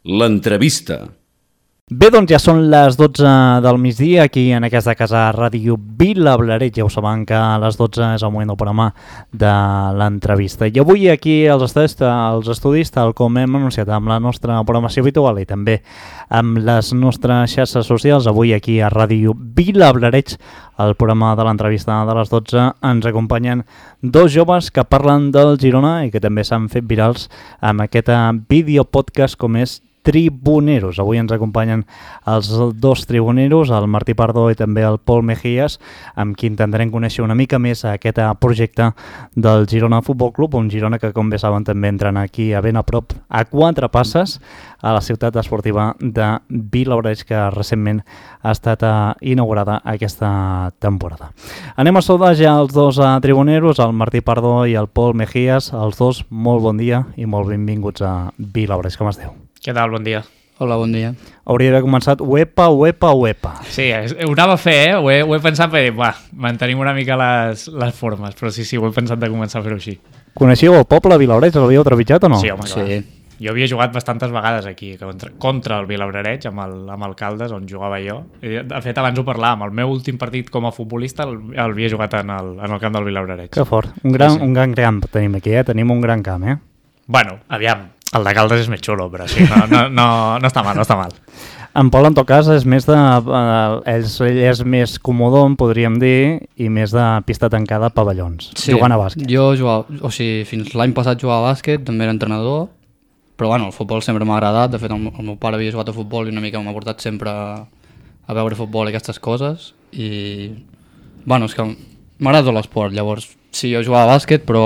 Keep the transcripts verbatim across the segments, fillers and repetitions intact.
L'entrevista. Bé, doncs ja són les dotze del migdia aquí en aquesta casa Ràdio Vilablareix. Ja ho saben que a les dotze és el moment del programa de l'entrevista. I avui aquí als estudis, als estudis, tal com hem anunciat amb la nostra programació habitual i també amb les nostres xarxes socials, avui aquí a Ràdio Vilablareix, el programa de l'entrevista de les dotze, ens acompanyen dos joves que parlen del Girona i que també s'han fet virals amb aquest videopodcast com és Tribuneros. Avui ens acompanyen els dos tribuneros, el Martí Pardo i també el Pol Mejías, amb qui intentarem conèixer una mica més aquest projecte del Girona Futbol Club, un Girona que, com bé saben, també entren aquí a ben a prop, a quatre passes, a la ciutat esportiva de Vilablareix, que recentment ha estat inaugurada aquesta temporada. Anem a saludar ja els dos tribuneros, el Martí Pardo i el Pol Mejías. Els dos, molt bon dia i molt benvinguts a Vilablareix. Com esteu? Què tal? Bon dia. Hola, bon dia. Hauria d'haver començat uepa, uepa, uepa. Sí, ho anava a fer, eh? Ho he, ho he pensat per dir, va, mantenim una mica les, les formes, però sí, sí, ho he pensat de començar a fer-ho així. Coneixíeu el poble de Vilablareix? L'havíeu trepitjat o no? Sí, home, clar. Sí. Jo havia jugat bastantes vegades aquí, contra, contra el Vilablareix, amb, el, amb el Caldes, on jugava jo. De fet, abans ho parlàvem, el meu últim partit com a futbolista el, el havia jugat en el, en el camp del Vilablareix. Que fort. Un gran, sí, sí. un gran camp tenim aquí, eh? Tenim un gran camp, eh? Bueno, aviam, el de Caldes és més xulo, però sí, no, no, no, no està mal, no està mal. En Pol, en tot cas, és més de... Eh, ell, ell és més comodon, podríem dir, i més de pista tancada a pavellons, Sí, jugant a bàsquet. Jo jugava, o sigui, fins l'any passat jugava a bàsquet, també era entrenador, però bueno, el futbol sempre m'ha agradat. De fet, el, el meu pare havia jugat a futbol i una mica m'ha portat sempre a, a veure futbol i aquestes coses, i bueno, és que m'agrada tot l'esport. Llavors, sí, jo jugava a bàsquet, però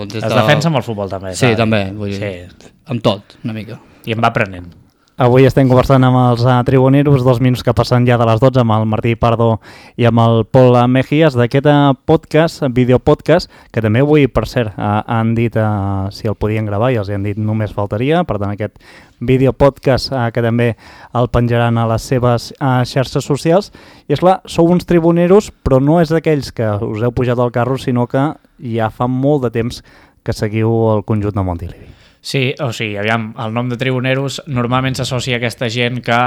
des Es de... defensa amb el futbol també. Sí, saps? també, vull dir, Sí. amb tot, una mica. I em va aprenent. Avui estem conversant amb els uh, tribuneros, dos minuts que passen ja de les dotze, amb el Martí Pardo i amb el Pol Mejías, d'aquest uh, podcast, videopodcast, que també avui, per cert, uh, han dit uh, si el podien gravar i els han dit només faltaria. Per tant, aquest videopodcast uh, que també el penjaran a les seves uh, xarxes socials. I és clar, sou uns tribuneros, però no és d'aquells que us heu pujat al carro, sinó que ja fa molt de temps que seguiu el conjunt de Montilivi. Sí, o sigui, aviam, el nom de Tribuneros normalment s'associa a aquesta gent que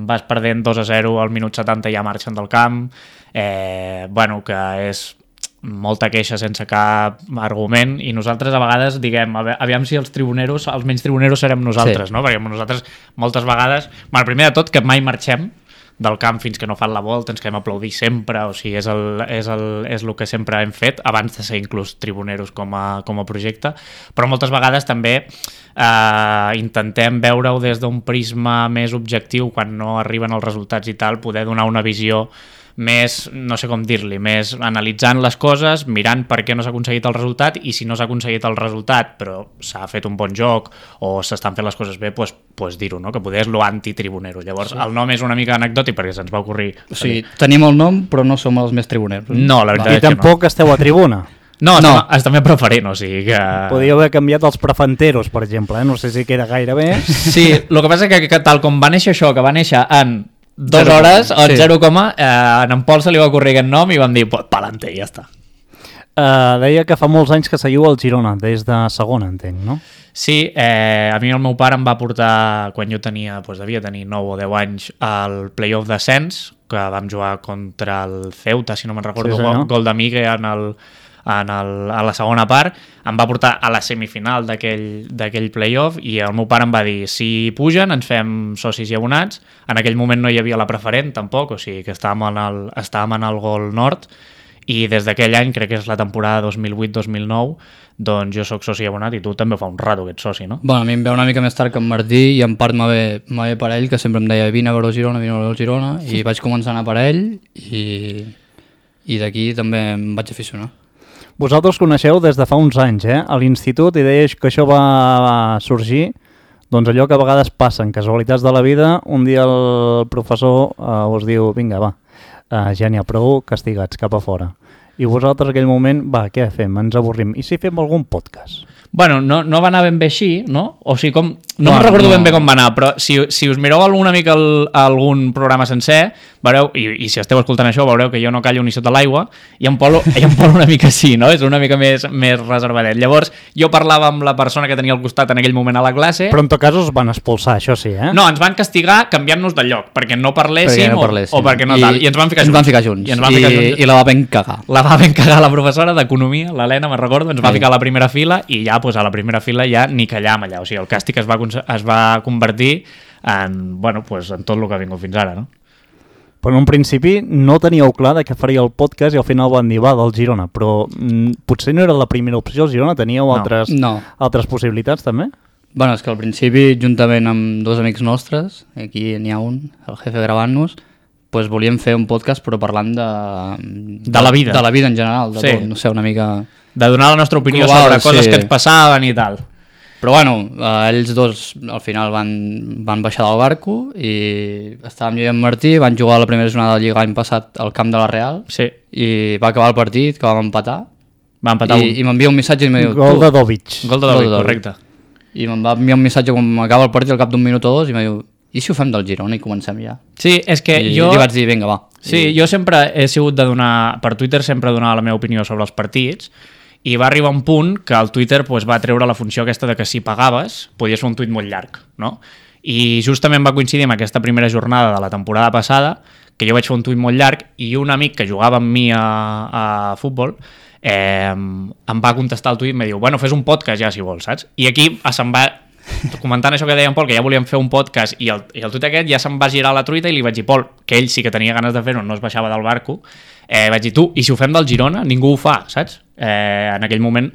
vas perdent dos a zero al minut setanta i ja marxen del camp, eh, bueno, que és molta queixa sense cap argument, i nosaltres a vegades diguem, aviam si els tribuneros, els menys tribuneros serem nosaltres, Sí. no? Perquè nosaltres moltes vegades, bueno, primer de tot que mai marxem del camp fins que no fan la volta, ens quedem a aplaudir sempre, o sigui, és el, és el, és el que sempre hem fet, abans de ser inclús tribuneros com a, com a projecte, però moltes vegades també eh, intentem veure-ho des d'un prisma més objectiu, quan no arriben els resultats i tal, poder donar una visió més, no sé com dir-li, més analitzant les coses, mirant per què no s'ha aconseguit el resultat, i si no s'ha aconseguit el resultat però s'ha fet un bon joc o s'estan fent les coses bé, doncs, doncs dir-ho, no? Que poder és lo antitribunero. Llavors sí. El nom és una mica anecdòtic perquè se'ns va ocorrir. O sigui, tenim el nom, però no som els més tribuneros. No, la veritat I és que tampoc no. esteu a tribuna. No, No. estem, estem a preferent, o sigui que... Podríeu haver canviat els prefanteros, per exemple, eh? No sé si queda gaire bé. Sí, el que passa és que, que tal com va néixer això, que va néixer en dues Zero hores, coma. o en Sí. zero coma, eh, en Pol se li va ocorrir aquest nom i vam dir, pues, pa'lante, i ja està. Uh, deia que fa molts anys que seguiu el Girona, des de segona, entenc, no? Sí, eh, a mi el meu pare em va portar, quan jo tenia, doncs devia tenir nou o deu anys, al playoff d'ascens, que vam jugar contra el Ceuta, si no me'n recordo, Sí, sí, senyor. gol, gol de Migue en, el, en el, a la segona part, em va portar a la semifinal d'aquell d'aquell playoff, i el meu pare em va dir, si pugen ens fem socis i abonats. En aquell moment no hi havia la preferent tampoc, o sigui que estàvem en el, estàvem en el Gol Nord, i des d'aquell any, crec que és la temporada dos mil vuit dos mil nou, doncs jo sóc soci abonat i tu també fa un rato que ets soci, no? Bueno, a mi em ve una mica més tard que en Martí, i en part m'ha ve, m'ha ve per ell, que sempre em deia vine a veure el Girona, vine a veure el Girona, i vaig començar a anar per ell, i, i d'aquí també em vaig aficionar. Vosaltres coneixeu des de fa uns anys, eh? A l'institut, i deies que això va sorgir, doncs allò que a vegades passen, casualitats de la vida, un dia el professor uh, us diu, vinga, va, uh, ja n'hi ha prou, castigats, cap a fora. I vosaltres en aquell moment, va, què fem? Ens avorrim. I si fem algun podcast? Bueno, no, no va anar ben bé així, no? O sigui, com... No, No, no recordo no. ben bé com va anar, però si, si us mireu alguna mica el, algun programa sencer, veureu, i, i si esteu escoltant això, veureu que jo no callo ni sota l'aigua, i en Pol, i en Pol una mica sí, no? És una mica més, més reservadet. Llavors, jo parlava amb la persona que tenia al costat en aquell moment a la classe... Però en tot cas us van expulsar, això sí, eh? No, ens van castigar canviant-nos de lloc, perquè no parléssim, Perquè no o, parléssim. o perquè no I, tal. I ens van ficar ens junts. Van ficar junts. I, ens van I, ficar junts. I la va ben cagar. La va ben cagar la professora d'Economia, l'Helena, me'n recordo, ens va Ai. ficar a la primera fila i ja pues, a la primera fila ja ni callam allà. O sigui, el càstig es va, es va convertir en, bueno, pues, en tot el que ha vingut fins ara, no? Però en un principi no teníeu clar de què faria el podcast i al final van dir, va, del Girona, però mm, potser no era la primera opció el Girona, teníeu No. altres, No. altres possibilitats també? Bueno, és que al principi, juntament amb dos amics nostres, aquí n'hi ha un, el jefe gravant-nos, pues volíem fer un podcast però parlant de... De la vida. De la vida en general, de Sí. tot, no sé, una mica... De donar la nostra opinió Global, sobre coses sí. que ens passaven i tal. Però bueno, eh, ells dos al final van, van baixar del barco i estàvem jo i en Martí, van jugar la primera jornada de Lliga l'any passat al camp de la Real Sí, i va acabar el partit, que vam empatar, va empatar i, un. i m'envia un missatge i em diu... Gol "Tu", de Dovic. Gol de Gol David, de David. correcte. I me'n va enviar un missatge quan acaba el partit al cap d'un minut o dos i em diu, i si ho fem del Girona i comencem ja? Sí, és que I jo... li vaig dir, vinga, va. Sí, jo sempre he sigut de donar... Per Twitter sempre donava la meva opinió sobre els partits i va arribar un punt que el Twitter pues, va treure la funció aquesta de que si pagaves podies fer un tuit molt llarg, no? I justament va coincidir amb aquesta primera jornada de la temporada passada que jo vaig fer un tuit molt llarg i un amic que jugava amb mi a, a futbol eh, em va contestar el tuit i em va dir, bueno, fes un podcast ja si vols, saps? I aquí se'n va... comentant això que deia en Pol, que ja volíem fer un podcast i el, i el tuit aquest ja se'n va girar la truita i li vaig dir, Pol, que ell sí que tenia ganes de fer-ho, no es baixava del barco, eh, vaig dir, tu, i si ho fem del Girona? Ningú ho fa, saps? Eh, en aquell moment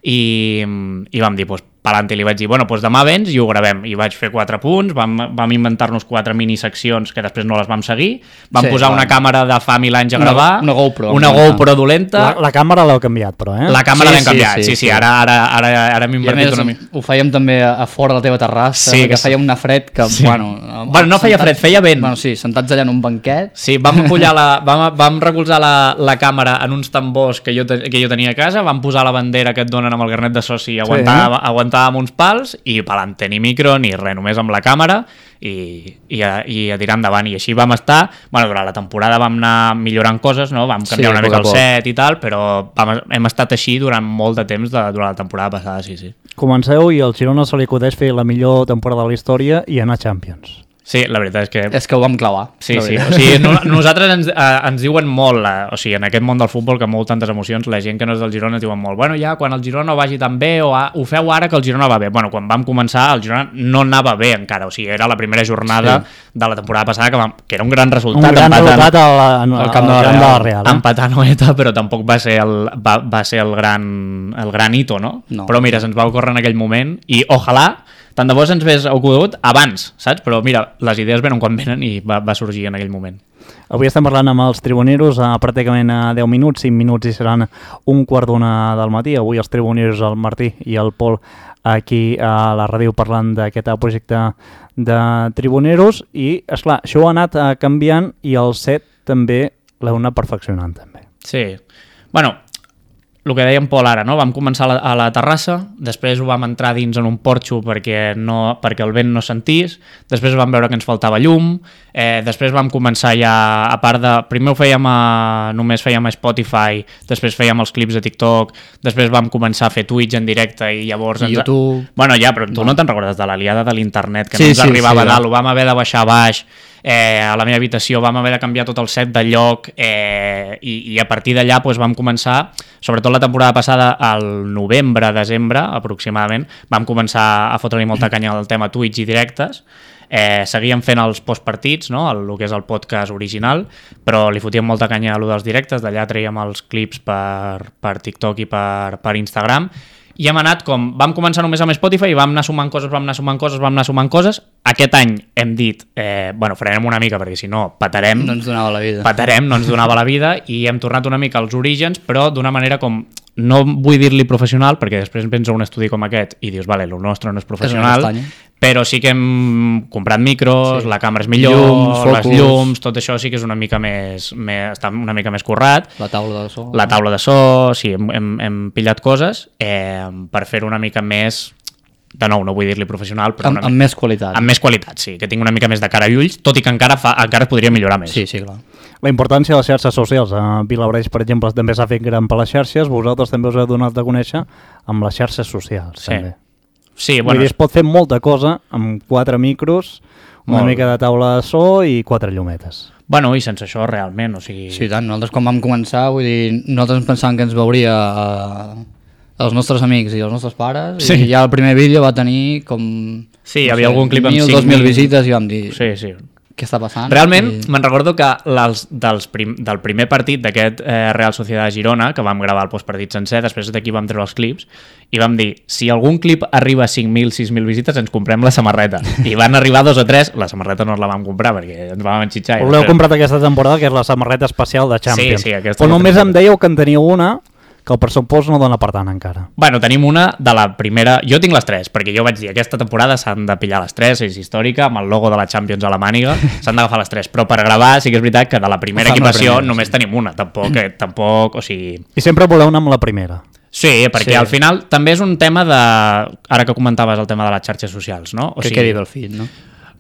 i, i vam dir, doncs, pues, palante, li vaig dir, bueno, doncs demà vens i ho gravem, i vaig fer quatre punts, vam, vam inventar-nos quatre miniseccions que després no les vam seguir, vam Sí, posar clar. una càmera de fa mil anys a Una- gravar, una GoPro, una una- GoPro dolenta, La, la càmera l'heu canviat, però, eh? la càmera Sí, l'hem sí, canviat, sí, sí, sí, sí. ara, ara, ara, ara m'he I a invertit més una mica. ho fèiem també a, a fora de la teva terrassa, Sí, sí, que que feia una fred que, Sí. bueno... Bueno, no feia fred, feia vent. Bueno, sí, sentats allà en un banquet. Sí, vam pullar la, vam, vam recolzar la, la càmera en uns tambors que jo, te, que jo tenia a casa, vam posar la bandera que et donen amb el carnet de soci i aguantàvem, sí. aguantàvem uns pals i pelante, ni micro ni res, només amb la càmera i, i, a, i a tirar endavant. I així vam estar, bueno, durant la temporada vam anar millorant coses, no? Vam canviar Sí, una poc mica a el poc. set i tal, però vam, hem estat així durant molt de temps de, durant la temporada passada, sí, sí. Comenceu i al Girona se li acudeix fer la millor temporada de la història i anar a Champions. Sí, la veritat és que... És que ho vam clavar. Sí, la sí, veritat. o sigui, no, nosaltres ens, eh, ens diuen molt, eh, o sigui, en aquest món del futbol que mou tantes emocions, la gent que no és del Girona ens diuen molt, bueno, ja, quan el Girona no vagi tan bé, o a, ho feu ara que el Girona va bé. Bueno, quan vam començar, el Girona no anava bé encara, o sigui, era la primera jornada Sí. de la temporada passada, que, vam, que era un gran resultat. Un gran empatant- resultat al, al, al camp de la camp de la Real. Real. Eh? empatar Noeta, però tampoc va ser el, va, va ser el gran, el gran hito, no? No. Però mira, se'ns va ocórrer en aquell moment i ojalà, tant de bo se'ns hagués ocorregut abans, saps? Però mira, les idees venen quan venen i va, va sorgir en aquell moment. Avui estem parlant amb els tribuneros a pràcticament a deu minuts, cinc minuts i seran un quart d'una del matí. Avui els tribuneros, el Martí i el Pol, aquí a la ràdio parlant d'aquest projecte de tribuneros i, esclar, això ho ha anat eh, canviant i el set també l'heu anat perfeccionant també. Sí. Bueno, el que deia en Pol ara, no? Vam començar a la, a la terrassa, després ho vam entrar dins en un porxo perquè, no, perquè el vent no sentís, després vam veure que ens faltava llum, eh, després vam començar ja, a part de... Primer ho fèiem a... només fèiem a Spotify, després fèiem els clips de TikTok, després vam començar a fer Twitch en directe i llavors... I ens... YouTube. Bueno, ja, però tu no, no te'n recordes de l'aliada de l'internet, que Sí, no ens sí, arribava sí, a dalt, ho vam haver de baixar a baix, eh, a la meva habitació, vam haver de canviar tot el set de lloc eh, i, i a partir d'allà doncs, vam començar, sobretot la temporada passada, al novembre, desembre aproximadament, vam començar a fotre-li molta canya al tema Twitch i directes, eh, seguíem fent els postpartits, no? el, el que és el podcast original, però li fotíem molta canya a lo dels directes, d'allà traiem els clips per, per TikTok i per, per Instagram, i hem anat com, vam començar només amb Spotify i vam anar sumant coses, vam anar sumant coses, vam anar sumant coses. Aquest any hem dit, eh, bueno, farem una mica perquè si no patarem, No ens donava la vida. patarem, no ens donava la vida i hem tornat una mica als orígens, però d'una manera com, no vull dir-li professional perquè després vens a un estudi com aquest i dius, vale, el nostre no és professional, castanya. però sí que hem comprat micros, sí. La càmera és millor, llums, les llums, tot això sí que és una mica més, més està una mica més currat. La taula de so. La taula de so, sí, hem, hem, hem pillat coses eh, per fer-ho una mica més, de nou, no vull dir-li professional, però amb, una amb mica, més qualitat. Amb més qualitat, sí, que tinc una mica més de cara i ulls, tot i que encara, fa, encara es podria millorar més. Sí, sí, clar. La importància de les xarxes socials. A Vilablareix, per exemple, també s'ha fet gran per les xarxes, vosaltres també us heu donat de conèixer amb les xarxes socials, sí. també. Sí, Vull bueno, dir, es pot fer molta cosa amb quatre micros, una molt. mica de taula de so i quatre llumetes. Bueno, i sense això realment, o sigui... Sí, tant. Nosaltres quan vam començar, vull dir, nosaltres pensàvem que ens veuria eh, els nostres amics i els nostres pares, sí. I ja el primer vídeo va tenir com... Sí, hi havia sé, algun clip amb mil, cinc dos mil visites i vam dir... Sí, sí. Què està passant? Realment, I... me'n recordo que els, dels prim, del primer partit d'aquest eh, Real Sociedad de Girona, que vam gravar el postpartit sencer, després d'aquí vam treure els clips, i vam dir, si algun clip arriba a cinc mil, sis mil visites, ens comprem la samarreta. I van arribar dos o tres, la samarreta no la vam comprar perquè ens vam enxitxar. Us l'heu comprat aquesta temporada, que és la samarreta especial de Champions. Sí, sí, aquesta. Però només em dèieu que en teníeu una, que el pressupost no dona per tant encara. Bueno, tenim una de la primera... Jo tinc les tres, perquè jo vaig dir aquesta temporada s'han de pillar les tres, és històrica, amb el logo de la Champions a la màniga, s'han d'agafar les tres, però per gravar sí que és veritat que de la primera equipació primera, només sí. Tenim una, tampoc, eh, tampoc, o sigui... I sempre voleu anar amb la primera. Sí, perquè sí. Al final també és un tema de... Ara que comentaves el tema de les xarxes socials, no? O que sigui, quedi del feed, no?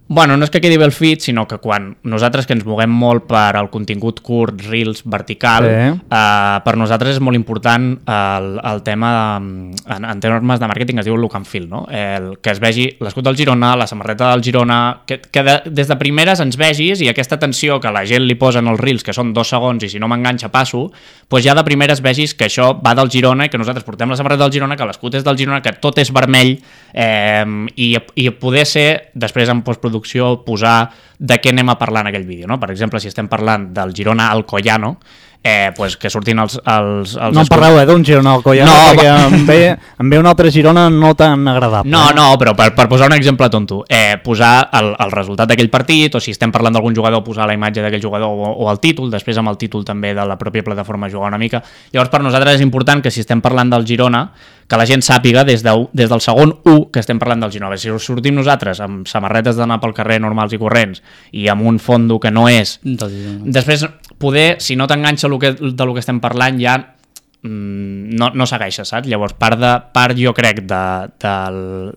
Bueno, no és que quedi bé el feed, sinó que quan nosaltres que ens moguem molt per al contingut curt, reels, vertical, sí. eh, per nosaltres és molt important el, el tema, de, en, en termes de màrqueting es diu look and feel, no? El, que es vegi l'escut del Girona, la samarreta del Girona, que, que de, des de primeres ens vegis i aquesta atenció que la gent li posa en els reels, que són dos segons i si no m'enganxa passo, doncs ja de primeres vegis que això va del Girona i que nosaltres portem la samarreta del Girona, que l'escut és del Girona, que tot és vermell eh, i, i poder ser, després en postproducció, posar de què anem a parlar en aquell vídeo, no? Per exemple, si estem parlant del Girona Alcoyano, eh, pues que surtin els... els, els no en parleu, eh, d'un Girona Alcoyano, no, perquè va... em, ve, em ve un altre Girona no tan agradable. No, eh? no, però per, per posar un exemple tonto, eh, posar el, el resultat d'aquell partit, o si estem parlant d'algun jugador, posar la imatge d'aquell jugador o, o el títol, després amb el títol també de la pròpia plataforma jugar una mica. Llavors, per nosaltres és important que si estem parlant del Girona, que la gent sàpiga des, de, des del segon u que estem parlant del Girona. Si sortim nosaltres amb samarretes d'anar pel carrer normals i corrents i amb un fondo que no és... Després, poder, si no t'enganxa el que, de lo que estem parlant, ja mmm, no, no segueixes, saps? Llavors, part, de, part jo crec de, de,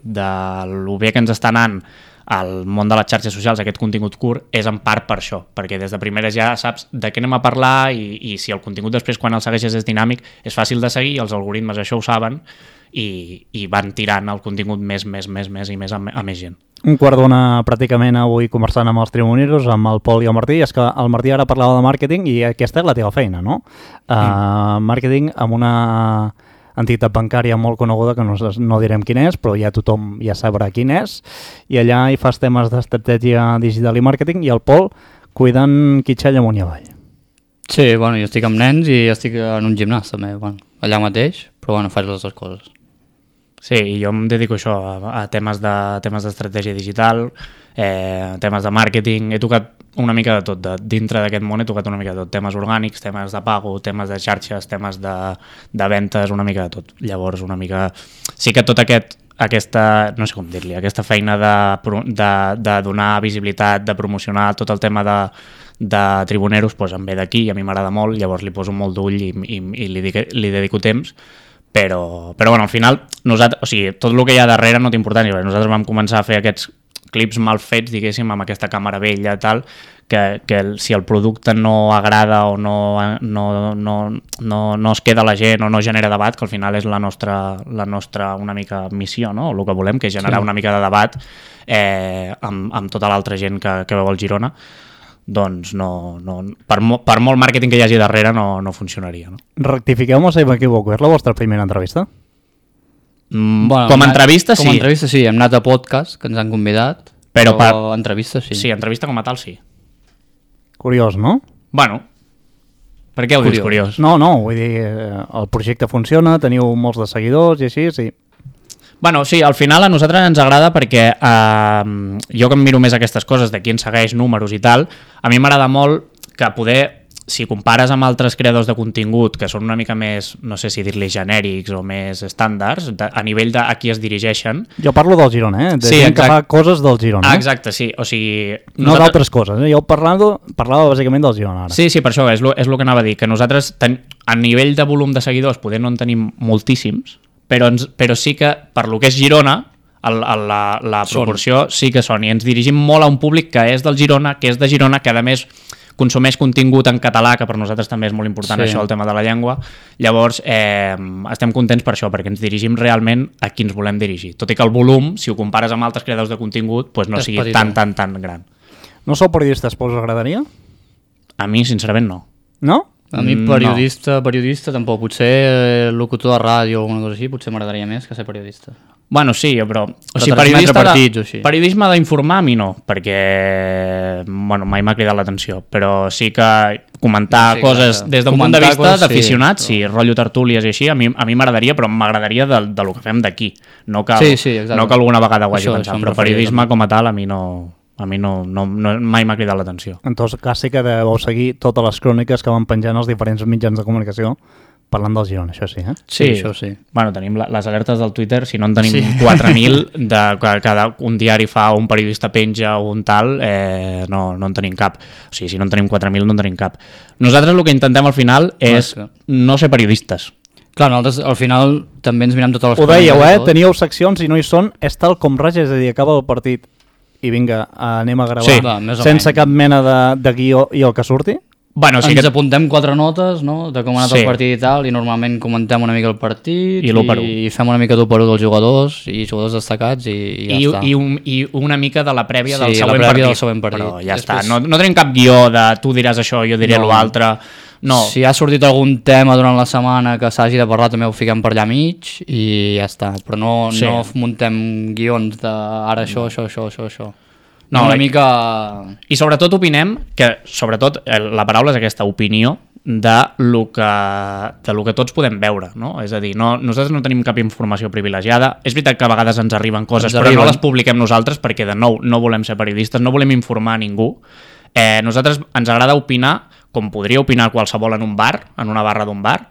de lo bé que ens està anant al món de les xarxes socials, aquest contingut curt, és en part per això, perquè des de primeres ja saps de què anem a parlar i, i si el contingut després quan el segueixes és dinàmic és fàcil de seguir, els algoritmes això ho saben i, i van tirant el contingut més, més, més, més i més a, a més gent. Un quart d'ona pràcticament avui conversant amb els trimoneros, amb el Pol i el Martí, és que el Martí ara parlava de màrqueting i aquesta és la teva feina, no? Uh, mm. Màrqueting amb una entitat bancària molt coneguda, que no, no direm quin és, però ja tothom ja sabrà quin és, i allà hi fas temes d'estratègia digital i màrqueting, i el Pol cuidant Quitxell amunt i avall. Sí, bueno, jo estic amb nens i estic en un gimnàs també, bueno, allà mateix, però bueno, faig les dues coses. Sí, i jo em dedico a això, a, a temes de temes d'estratègia digital, eh, temes de màrqueting, he tocat una mica de tot, de, dintre d'aquest món he tocat una mica de tot, temes orgànics, temes de pago, temes de xarxes, temes de, de ventes, una mica de tot. Llavors, una mica... Sí que tot aquest, aquesta, no sé com dir-li, aquesta feina de, de, de donar visibilitat, de promocionar tot el tema de, de tribuneros, doncs em ve d'aquí i a mi m'agrada molt, llavors li poso molt d'ull i, i, i li, dic, li dedico temps, però, però bueno, al final, nosaltres, o sigui, tot el que hi ha darrere no té importància, nosaltres vam començar a fer aquests clips mal fets, diguéssim, amb aquesta càmera vella i tal, que, que el, si el producte no agrada o no, no, no, no, no es queda a la gent o no genera debat, que al final és la nostra, la nostra una mica missió, no? O el que volem, que és generar sí. una mica de debat eh, amb, amb tota l'altra gent que, que veu el Girona, doncs no, no, per, mo, per molt màrqueting que hi hagi darrere no, no funcionaria. No? Rectifiqueu-me si m'equivoco, és la vostra primera entrevista? Mm, bueno, com a entrevista sí. Com a entrevista sí, hem anat a podcast, que ens han convidat, però, però per... entrevista sí. Sí, entrevista com a tal sí. Curiós, no? Bueno, per què ho curiós. dius curiós? No, no, vull dir, el projecte funciona, teniu molts de seguidors i així, sí. Bueno, sí, al final a nosaltres ens agrada perquè eh, jo que em miro més aquestes coses de qui ens segueix, números i tal, a mi m'agrada molt que poder si compares amb altres creadors de contingut que són una mica més, no sé si dir-li genèrics o més estàndards, de, a nivell de a qui es dirigeixen... Jo parlo del Girona, eh? De sí, gent exacte. que fa coses del Girona. Ah, eh? exacte, sí. O sigui, no nosaltres... d'altres coses. Eh? Jo parlava, parlava bàsicament del Girona ara. Sí, sí, per això és el és que anava a dir, que nosaltres ten, a nivell de volum de seguidors poder no en tenim moltíssims, però, ens, però sí que per lo que és Girona, el, el, la, la proporció són. Sí que són, i ens dirigim molt a un públic que és del Girona, que és de Girona, que a més consumeix contingut en català, que per nosaltres també és molt important sí. això, el tema de la llengua. Llavors, eh, estem contents per això, perquè ens dirigim realment a qui ens volem dirigir. Tot i que el volum, si ho compares amb altres creadors de contingut, pues no és sigui petit, tan, tan, tan gran. No sou periodistes, però us agradaria? A mi, sincerament, no. No? A mi periodista, no. periodista tampoc. Potser eh, locutor de ràdio o alguna cosa així, potser m'agradaria més que ser periodista. Bueno, sí, però... O però sigui, periodista partits, de, o així. Periodisme d'informar a mi no, perquè bueno, mai m'ha cridat l'atenció, però sí que comentar sí, coses clar, des d'un punt de vista d'aficionats, sí, però... sí, rotllo tertúlies i així, a mi a mi m'agradaria, però m'agradaria de, de lo que fem d'aquí. No, cal, sí, sí, no que alguna vegada ho hagi això, pensat, això però periodisme també. Com a tal a mi no... A mi no, no, no, mai m'ha cridat l'atenció. En tot cas, sí que deveu seguir totes les cròniques que van penjant els diferents mitjans de comunicació parlant del Girona, això sí, eh? Sí, sí, això sí. Bueno, tenim la, les alertes del Twitter, si no en tenim sí. quatre mil, de que cada un diari fa un periodista penja o un tal, eh, no, no en tenim cap. O sigui, si no en tenim quatre mil, no en tenim cap. Nosaltres el que intentem al final és no, no ser periodistes. Clar, nosaltres al final també ens mirem totes les coses. Ho dèieu, eh? Teníeu seccions i no hi són, és tal com res, és a dir, acaba el partit i vinga, anem a gravar sí. Va, sense cap mena de, de guió i el que surti? Bueno, sí ens que... apuntem quatre notes, no?, de com ha anat sí. el partit i tal, i normalment comentem una mica el partit i, i fem una mica d'u per u dels jugadors i jugadors destacats i, i ja I, està. I, un, I una mica de la prèvia sí, del, següent la prèvia partit. del següent partit. Però ja Després... està, no, no tenim cap guió de tu diràs això, jo diré no. l'altre. No. Si ha sortit algun tema durant la setmana que s'hagi de parlar, també ho fiquem per allà mig i ja està, però no, sí. no muntem guions de ara això, no. això, això, això, això. No, una mica... I sobretot opinem que, sobretot, la paraula és aquesta, opinió de lo que, de lo que tots podem veure, no? És a dir, no, nosaltres no tenim cap informació privilegiada. És veritat que a vegades ens arriben coses, ens però arriben. No les publiquem nosaltres perquè, de nou, no volem ser periodistes, no volem informar a ningú. Eh, nosaltres ens agrada opinar, com podria opinar qualsevol en un bar, en una barra d'un bar,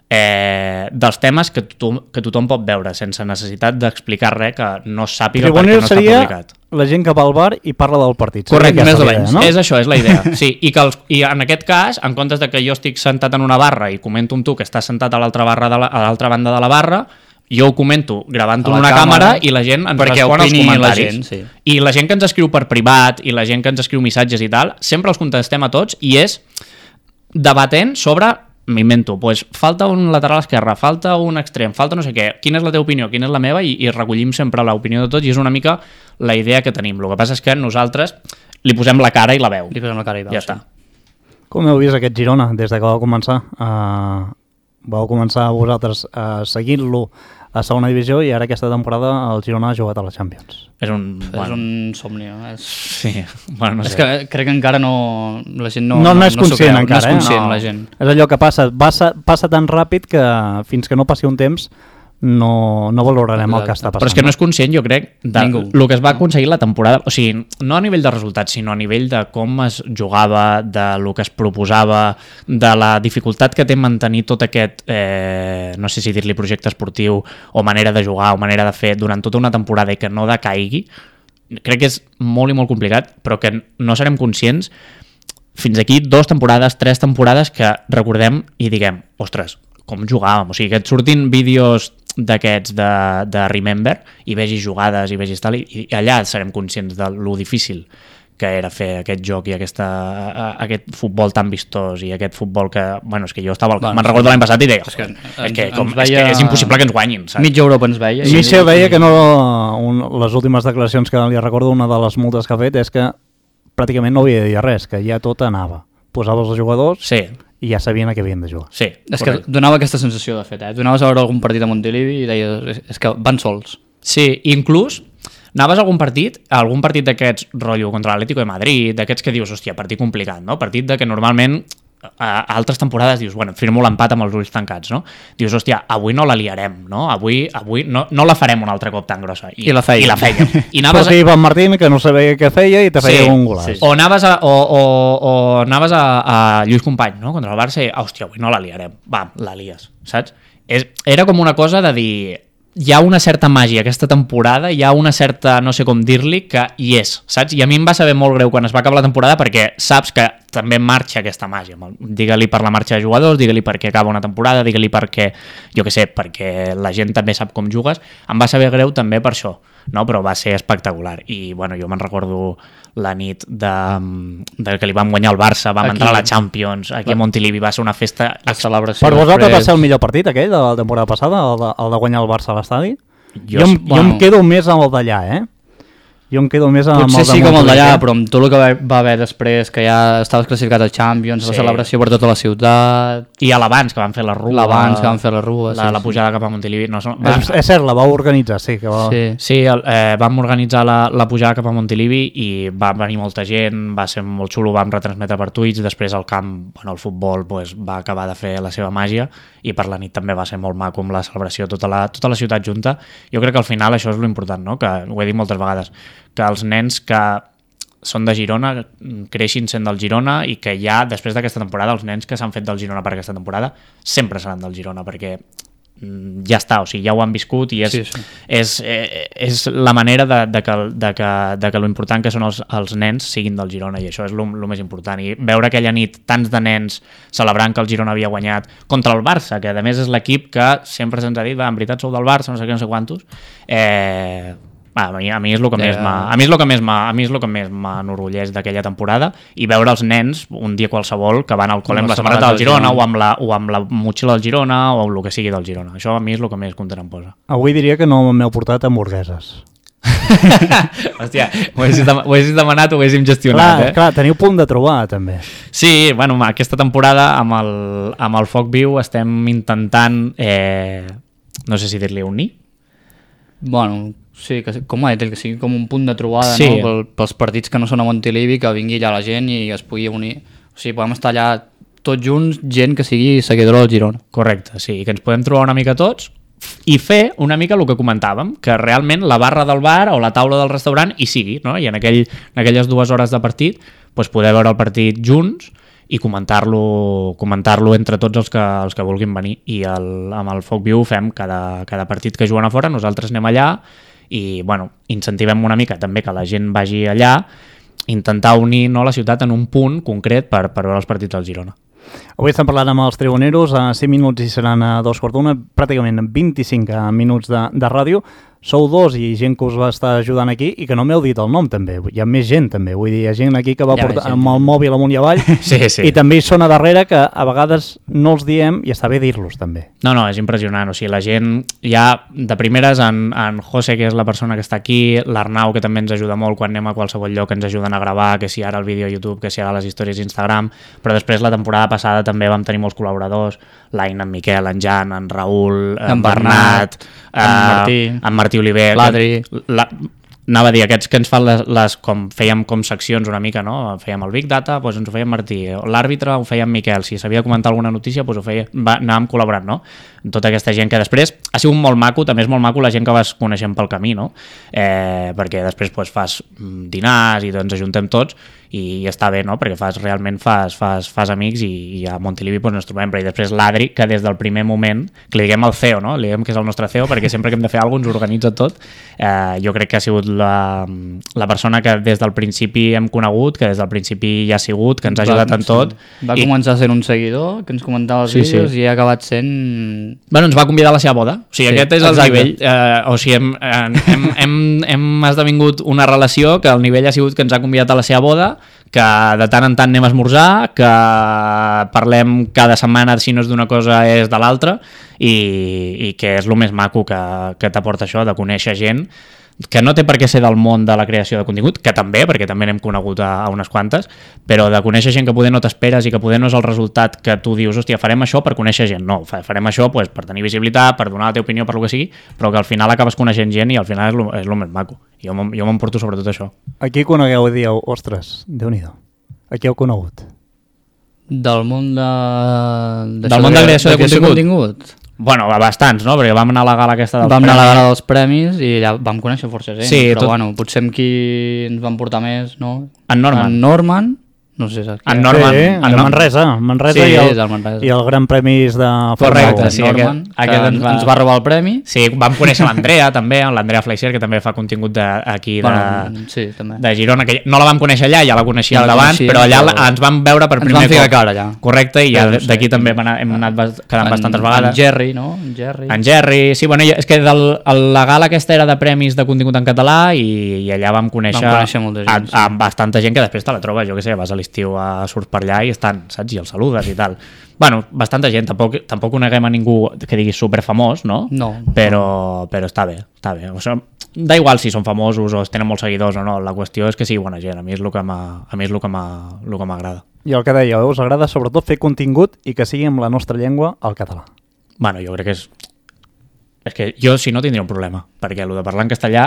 Eh, dels temes que tothom, que tothom pot veure sense necessitat d'explicar res que no sàpiga perquè no està publicat. La gent que va al bar i parla del partit. Correcte, més o menys. No? És això, és la idea. Sí, i, que els, I en aquest cas, en comptes de que jo estic sentat en una barra i comento amb tu que estàs sentat a l'altra barra de la, a l'altra banda de la barra, jo ho comento gravant-ho en una càmera, càmera i la gent ens respon als comentaris. La gent, sí. I la gent que ens escriu per privat i la gent que ens escriu missatges i tal, sempre els contestem a tots i és debatent sobre... M'invento, pues, falta un lateral esquerre, falta un extrem, falta no sé què, quina és la teva opinió, quina és la meva, i, i recollim sempre l'opinió de tots i és una mica la idea que tenim. El que passa és que nosaltres li posem la cara i la veu. Li posem la cara i veu, ja sí. està. Com heu vist aquest Girona des de que vau començar? Uh, vau començar vosaltres uh, seguint-lo a segona divisió i ara aquesta temporada el Girona ha jugat a la Champions. És un, bueno. és un somni, no? És... Sí, bueno, no és sé. que crec que encara no... La gent no... No, no, no és conscient no encara, no és conscient, eh? No. La gent. És allò que passa, passa, passa tan ràpid que fins que no passi un temps no, no valorarem Exacte. El que està passant. Però és que no és conscient, jo crec, de el que es va aconseguir la temporada, o sigui, no a nivell de resultats, sinó a nivell de com es jugava, de lo que es proposava, de la dificultat que té mantenir tot aquest, eh, no sé si dir-li projecte esportiu, o manera de jugar, o manera de fer, durant tota una temporada i que no decaigui. Crec que és molt i molt complicat, però que no serem conscients fins aquí dues temporades, tres temporades que recordem i diguem, ostres, com jugàvem, o sigui, que et surtin vídeos d'aquests de, de Remember i vegis jugades i vegis tal, i, i allà serem conscients de lo difícil que era fer aquest joc i aquesta, aquest futbol tan vistós i aquest futbol que, bueno, és que jo estava, bueno, me'n recordo l'any passat i deia, és que, és, que, com, veia... és que és impossible que ens guanyin, saps? Mitja Europa ens veia. I Michel deia que no, un, les últimes declaracions que li recordo, una de les multes que ha fet és que pràcticament no havia de dir res, que ja tot anava. Posaves els jugadors sí. i ja sabien a què havien de jugar. Sí, és correcte. Que donava aquesta sensació, de fet, eh? Donaves a veure algun partit a Montilivi i deies, és que van sols. Sí, inclús anaves a algun partit, a algun partit d'aquests rotllo contra l'Atlético de Madrid, d'aquests que dius, hòstia, partit complicat, no? Partit de que normalment a altres temporades dius, bueno, firmo l'empat amb els ulls tancats, no? Dius, hòstia, avui no la liarem, no? Avui, avui no, no la farem un altre cop tan grossa. I, I la fèiem. I la fèiem. I anaves a... Ivan Martín, que no sabia què feia i te feia sí, un golaç. Sí. O anaves, a, o, o, o anaves a, a Lluís Company, no? Contra el Barça i, hòstia, avui no la liarem. Va, la lies, saps? És, era com una cosa de dir... Hi ha una certa màgia aquesta temporada, hi ha una certa, no sé com dir-li, que hi és, saps? I a mi em va saber molt greu quan es va acabar la temporada perquè saps que també marxa aquesta màgia. Digue-li per la marxa de jugadors, digue-li perquè acaba una temporada, digue-li perquè, jo què sé, perquè la gent també sap com jugues. Em va saber greu també per això, no? Però va ser espectacular. I bueno, jo me'n recordo la nit de, de que li vam guanyar el Barça, vam aquí, entrar a la Champions, aquí a Montilivi, va ser una festa... La celebració. Per vosaltres va ser el millor partit aquell de la temporada passada, el de, el de guanyar el Barça a l'estadi? Jo, jo, bueno. jo em quedo més amb el d'allà, eh? Jo em quedo més amb Potser el de sí com el d'allà, eh? però amb tot el que va haver després, que ja estaves classificat a Champions, sí. La celebració per tota la ciutat... I a l'abans, que van fer la rua. L'abans, que van fer la rua, la, sí. La pujada cap a Montilivi. No, va... és, és cert, la vau organitzar, sí. Que va... Sí, sí el, eh, vam organitzar la, la pujada cap a Montilivi i va venir molta gent, va ser molt xulo, vam retransmetre per Twitch, després el camp, bueno, el futbol pues, va acabar de fer la seva màgia i per la nit també va ser molt maco amb la celebració, tota la, tota la ciutat junta. Jo crec que al final això és l'important, no? Que ho he dit moltes vegades, que els nens que són de Girona creixin sent del Girona i que ja, després d'aquesta temporada, els nens que s'han fet del Girona per aquesta temporada sempre seran del Girona, perquè ja està, o sigui, ja ho han viscut i és, sí, sí. és, eh, és la manera de, de, que, de, que, de que l'important que són els, els nens siguin del Girona, i això és el més important. I veure aquella nit tants de nens celebrant que el Girona havia guanyat contra el Barça, que a més és l'equip que sempre se'ns ha dit, va, en veritat sou del Barça, no sé què, no sé quantos, eh... A mi, a mi és el que més m'ha, a mi és el que més m'ha, a mi és el que més m'enorgulleix d'aquella temporada, i veure els nens un dia qualsevol que van al col·le amb la samarreta del Girona, Girona o amb la o amb la motxilla del Girona o el que sigui del Girona. Això a mi és el que més content em posa. Avui diria que no m'heu portat hamburgueses. Hòstia, ho haguessis, dem- ho haguessis demanat, ho haguéssim gestionat, clar, eh? Clar, teniu punt de trobar, també. Sí, bueno, aquesta temporada amb el, amb el Foc Viu estem intentant, eh, no sé si dir-li unir. Bueno, sí, que, com ha dit, que sigui com un punt de trobada, sí. No? Pel, pels partits que no són a Montilivi, que vingui allà la gent i es pugui unir. O sigui, podem estar allà tots junts, gent que sigui seguidora del Girona. Correcte, sí, que ens podem trobar una mica tots i fer una mica el que comentàvem, que realment la barra del bar o la taula del restaurant hi sigui, no? I en, aquell, en aquelles dues hores de partit doncs poder veure el partit junts i comentar-lo comentar-lo entre tots els que, els que vulguin venir. I el, amb el Foc Viu fem cada, cada partit que juguen a fora, nosaltres anem allà i bueno, incentivem una mica també que la gent vagi allà, intentar unir, no, la ciutat en un punt concret per, per veure els partits del Girona. Avui estem parlant amb els tribuneros, a cinc minuts i seran a dos quarts d'una, pràcticament vint-i-cinc minuts de, de ràdio. Sou dos i gent que us va estar ajudant aquí i que no m'heu dit el nom també, hi ha més gent també, vull dir, hi ha gent aquí que va portar amb el mòbil amunt i avall sí, sí. I també hi són a darrere que a vegades no els diem i està bé dir-los també. No, no, és impressionant, o sigui, la gent ja de primeres, en, en José, que és la persona que està aquí, l'Arnau, que també ens ajuda molt quan anem a qualsevol lloc, ens ajuden a gravar, que si ara el vídeo a YouTube, que si ara les històries d'Instagram, però després la temporada passada també vam tenir molts col·laboradors, l'Aina, en Miquel, en Jan, en Raül, en, en Bernat, en uh, Martí, en Martí Oliver, l'Adri, la, anava a dir, aquests que ens fan les, les com fèiem com seccions una mica, no? Fèiem el Big Data, doncs ens ho feia Martí, l'àrbitre ho feia en Miquel, si s'havia de comentar alguna notícia doncs ho feia, va, anàvem col·laborant, no? Tota aquesta gent que després ha sigut molt maco, també és molt maco la gent que vas coneixent pel camí, no? Eh, perquè després doncs, fas dinars i doncs ajuntem tots i està bé, no? Perquè fas, realment fas, fas, fas amics i, i a Montilivi doncs, ens trobem, però i després l'Adri, que des del primer moment, que li diguem el C E O, no? Li diguem que és el nostre C E O, perquè sempre que hem de fer alguna cosa ens organitza tot. Eh, jo crec que ha sigut la, la persona que des del principi hem conegut, que des del principi ja ha sigut, que ens ha ajudat va, en tot. Va i... començar sent un seguidor, que ens comentava els sí, vídeos sí. I ha acabat sent... Bueno, ens va convidar a la seva boda, o sigui, sí, aquest és el exacte. Nivell, eh, o sigui, hem, hem, hem, hem esdevingut una relació que el nivell ha sigut que ens ha convidat a la seva boda, que de tant en tant anem a esmorzar, que parlem cada setmana, si no és d'una cosa és de l'altra, i, i que és el més maco que, que t'aporta això, de conèixer gent que no té per què ser del món de la creació de contingut, que també, perquè també n'hem conegut a, a unes quantes, però de conèixer gent que poder no t'esperes i que poder no és el resultat que tu dius, hòstia, farem això per conèixer gent. No, farem això pues, per tenir visibilitat, per donar la teva opinió, per lo que sigui, però que al final acabes coneixent gent i al final és lo, és lo més maco. Jo, jo m'emporto sobretot això. Aquí conegueu i dieu, ostres, Déu-n'hi-do, aquí heu conegut. Del món de... Del món de creació de, de contingut? contingut? Bueno, bastants, no? Perquè vam anar a la gala aquesta dels vam premis. Vam anar a la gala dels premis i allà vam conèixer força gent, sí, però tot... bueno, potser amb qui ens van portar més, no? En Norman. En Norman, no sé saps en Norman, sí, en en Manresa, Manresa, sí, i, el, del Manresa. i el Gran Premis de Correcte, sí, Norman, aquest, aquest ens, va... ens va robar el premi. Sí, vam conèixer l'Andrea també, l'Andrea Fleischer, que també fa contingut de, aquí de, bueno, sí, també. de Girona, que no la vam conèixer allà, ja la coneixíem ja d'abans, però allà però... ens vam veure per primer cop. Ens van ficar cara allà. Correcte, i ja sí, d'aquí sí. també hem anat, hem anat quedant en, bastantes vegades. En Jerry, no? En Jerry. En Jerry, sí, bueno, és que del, la gala aquesta era de premis de contingut en català i, i allà vam conèixer, vam conèixer molta gent, a, a, a bastanta gent que després te la trobes, jo què sé, vas a l'estiu a surts per allà i estan, saps? I els saludes i tal. Bueno, bastanta gent, tampoc, tampoc coneguem a ningú que digui superfamós, no? No. Però, però està bé, està bé. O sigui, da igual si són famosos o tenen molts seguidors o no, la qüestió és que sigui bona gent, a mi és el que m'agrada. I el que dèieu, us agrada sobretot fer contingut i que sigui amb la nostra llengua, el català. Bueno, jo crec que és... És que jo, si no, tindria un problema, perquè el de parlar en castellà...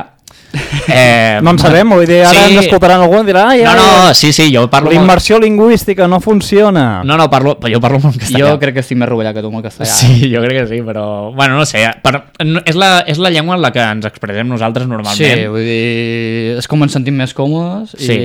Eh, no en sabem, vull dir, ara sí. ens escoltaran algú i dirà... Ah, ja, no, no, sí, sí, jo parlo... La immersió molt... lingüística no funciona. No, no, parlo, jo parlo molt en castellà. Jo crec que estic més rovellat que tu amb el castellà. Sí, jo crec que sí, però... Bueno, no sé, per... és, la, és la llengua en la que ens expressem nosaltres normalment. Sí, vull dir, és com ens sentim més còmodes i... Sí.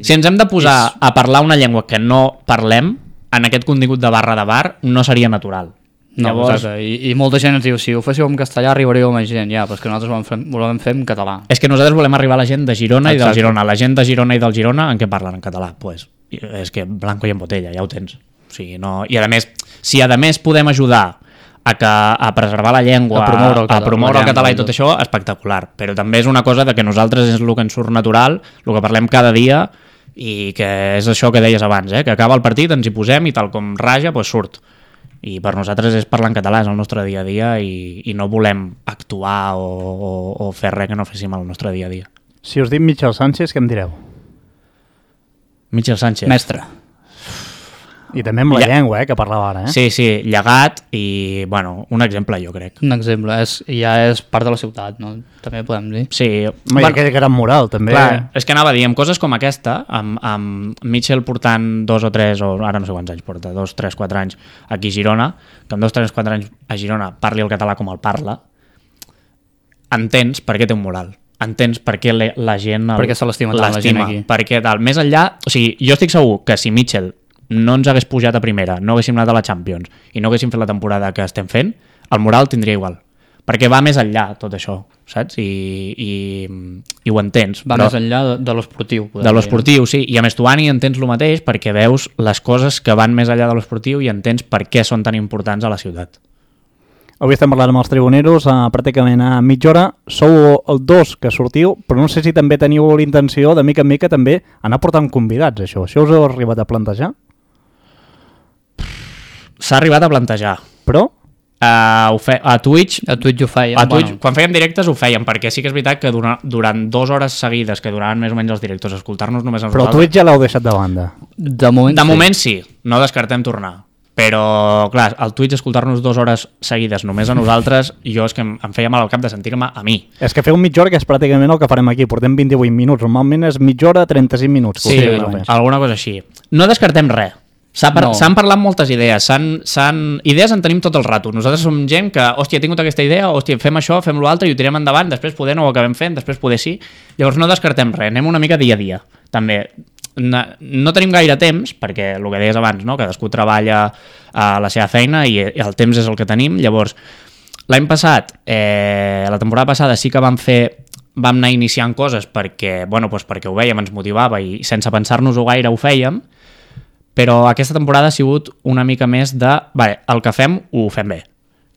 Si ens hem de posar és... a parlar una llengua que no parlem, en aquest contingut de barra de bar, no seria natural. No, Llavors... I, i molta gent ens diu, si ho féssiu en castellà arribaríeu a més gent, ja, però és que nosaltres volem fer, volem fer en català. És que nosaltres volem arribar a la gent de Girona. Exacte. I del Girona. La gent de Girona i del Girona en què parlen? En català. Pues, és que blanco i en botella, ja ho tens. O sigui, no... I a més, si a més podem ajudar a, que, a preservar la llengua, a promoure el català, a promoure el català i tot això, espectacular. Però també és una cosa de que nosaltres és el que ens surt natural, el que parlem cada dia, i que és això que deies abans, eh? Que acaba el partit, ens hi posem i tal com raja, pues surt. I per nosaltres és parlar en català, és el nostre dia a dia i, i no volem actuar o, o, o fer res que no féssim el nostre dia a dia. Si us dic Michel Sánchez, què em direu? Michel Sánchez. Mestre. I també amb la Lla... llengua, eh, que parlava ara, eh? Sí, sí, llegat i, bueno, un exemple, jo crec. Un exemple, és, ja és part de la ciutat, no? També podem dir. Sí. Home, bueno, aquell gran moral, també. Clar, és que anava a dir, amb coses com aquesta, amb, amb Michel portant dos o tres, o ara no sé quants anys porta, dos, tres, quatre anys aquí a Girona, que amb dos, tres, quatre anys a Girona parli el català com el parla, entens per què té un moral. Entens per què la gent... El, perquè se l'estima tant la gent aquí. Perquè tal, més enllà... O sigui, jo estic segur que si Michel no ens hagués pujat a primera, no haguéssim anat a la Champions i no haguéssim fet la temporada que estem fent, el moral tindria igual. Perquè va més enllà tot això, saps? I, i, i ho entens. Va però... més enllà de, de l'esportiu. De l'esportiu, sí. I a més tu, Ani, entens el mateix perquè veus les coses que van més enllà de l'esportiu i entens per què són tan importants a la ciutat. Avui estem parlant amb els tribuneros a, pràcticament a mitja hora. Sou el dos que sortiu, però no sé si també teniu l'intenció de mica en mica també anar portant convidats, això. Això us heu arribat a plantejar? S'ha arribat a plantejar. Però? Uh, ho fe... A Twitch... A Twitch ho fèiem. A Twitch, bueno. Quan fèiem directes ho fèiem, perquè sí que és veritat que durant, durant dues hores seguides que duraven més o menys els directors, escoltar-nos només a nosaltres... Però Twitch ja l'heu deixat de banda. De moment, de sí. moment sí, no descartem tornar. Però, clar, al Twitch escoltar-nos dues hores seguides només a nosaltres, jo és que em, em feia mal al cap de sentir-me a mi. És que feu mitja hora, que és pràcticament el que farem aquí. Portem vint-i-vuit minuts, normalment és mitja hora, trenta-cinc minuts. Sí, alguna cosa així. No descartem res. S'han par no. parlat moltes idees, s'han, s'han... idees en tenim tot el rato. Nosaltres som gent que, hòstia, he tingut aquesta idea, hòstia, fem això, fem l'altre i ho tirem endavant, després poder no ho acabem fent, després poder sí. Llavors no descartem res, anem una mica dia a dia, també. No, no tenim gaire temps, perquè el que deies abans, no? Cadascú treballa a la seva feina i el temps és el que tenim. Llavors, l'any passat, eh, la temporada passada sí que vam fer, vam anar iniciant coses perquè, bueno, doncs perquè ho vèiem, ens motivava i sense pensar-nos-ho gaire ho fèiem, però aquesta temporada ha sigut una mica més de, vale, el que fem ho fem bé.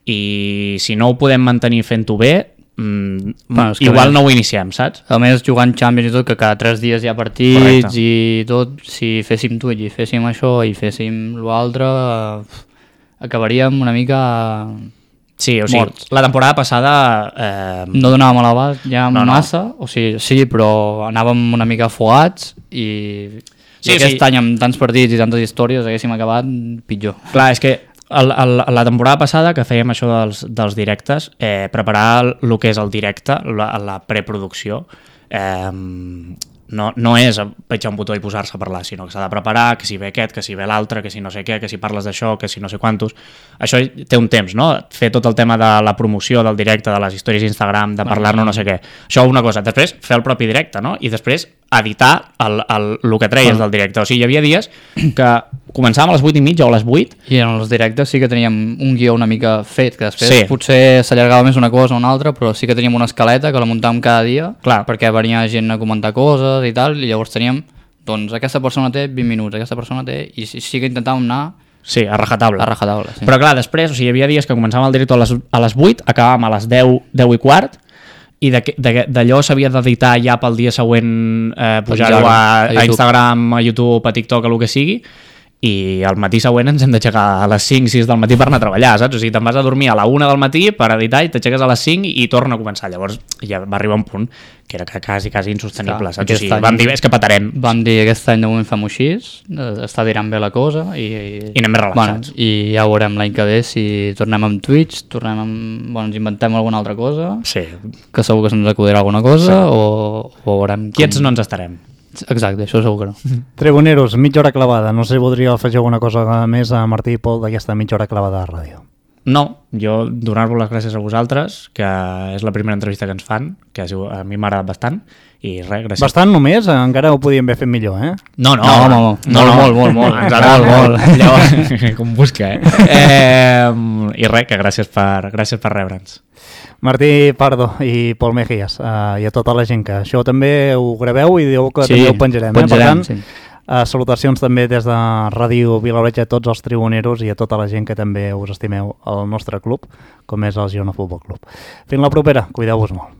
I si no ho podem mantenir fent-ho bé, mm, bueno, igual més, no ho iniciem, saps? A més, jugant Champions i tot, que cada tres dies hi ha partits. Correcte. I tot, si féssim Twitch i féssim això i féssim l'altre, acabaríem una mica... Sí, o sigui, morts. La temporada passada... Eh... No donàvem a l'abast ja no, massa, no. O sigui, sí, però anàvem una mica afogats i... Sí, I aquest sí. any amb tants partits i tantes històries haguéssim acabat pitjor. Clar, és que el, el, la temporada passada que fèiem això dels, dels directes, eh, preparar el que és el directe, la, la preproducció, eh, no, no és petjar un botó i posar-se a parlar, sinó que s'ha de preparar, que si ve aquest, que si ve l'altre, que si no sé què, que si parles d'això, que si no sé quantos. Això té un temps, no? Fer tot el tema de la promoció del directe, de les històries d'Instagram, de parlar-ne no sé què. Això una cosa. Després, fer el propi directe, no? I després editar el, el, el que treies del directe. O sigui, hi havia dies que començàvem a les vuit i mitja o a les vuit. I en els directes sí que teníem un guió una mica fet, que després Sí. potser s'allargava més una cosa o una altra, però sí que teníem una escaleta que la muntàvem cada dia, Clar. perquè venia gent a comentar coses i tal, i llavors teníem, doncs aquesta persona té vint minuts, aquesta persona té... I sí, sí que intentàvem anar Sí, a rajatabla. a rajatabla. Sí. Però clar, després, o sigui, hi havia dies que començàvem el directe a les, a les vuit, acabàvem a les deu, deu i quart, i d'allò s'havia d'editar ja pel dia següent, eh, pujar-ho a, a a Instagram, a YouTube, a TikTok, a el que sigui, i al matí següent ens hem d'aixecar a les cinc sis del matí per anar a treballar, saps? O sigui, te'n vas a dormir a la una del matí per editar i t'aixeques a les cinc i torna a començar. Llavors ja va arribar un punt que era quasi, quasi insostenible, Clar, saps? O aquest sigui, any- vam dir, és que patarem. Vam dir aquest any de moment fem-ho així, eh, està tirant bé la cosa i, I anem més relaxats. Bueno, i ja veurem l'any que ve si tornem amb Twitch, tornem amb... Bueno, ens inventem alguna altra cosa, Sí. que segur que se'ns acudirà alguna cosa, sí. o, o veurem com... Quiets no ens estarem. Exacte, això segur que no. Tribuneros, mitja hora clavada. No sé si voldria afegir alguna cosa més a Martí i Pol d'aquesta mitja hora clavada de ràdio. No, jo donar-vos les gràcies a vosaltres, que és la primera entrevista que ens fan, que ha sigut- a mi m'ha agradat bastant, i res, gràcies. Bastant només, encara ho podíem haver fet millor, eh? No, no, No, home, home. Molt, molt, molt, molt. Ens agrada Molt, molt. Llavors, com busca, eh? eh? I res, que gràcies per, gràcies per rebre'ns. Martí Pardo i Pol Mejías, uh, i a tota la gent que això també ho graveu i dieu que Sí, també ho penjarem. penjarem, eh? Per tant, sí. uh, salutacions també des de Ràdio Vilaoreig a tots els tribuneros i a tota la gent que també us estimeu al nostre club, com és el Girona Futbol Club. Fins la propera, cuideu-vos molt.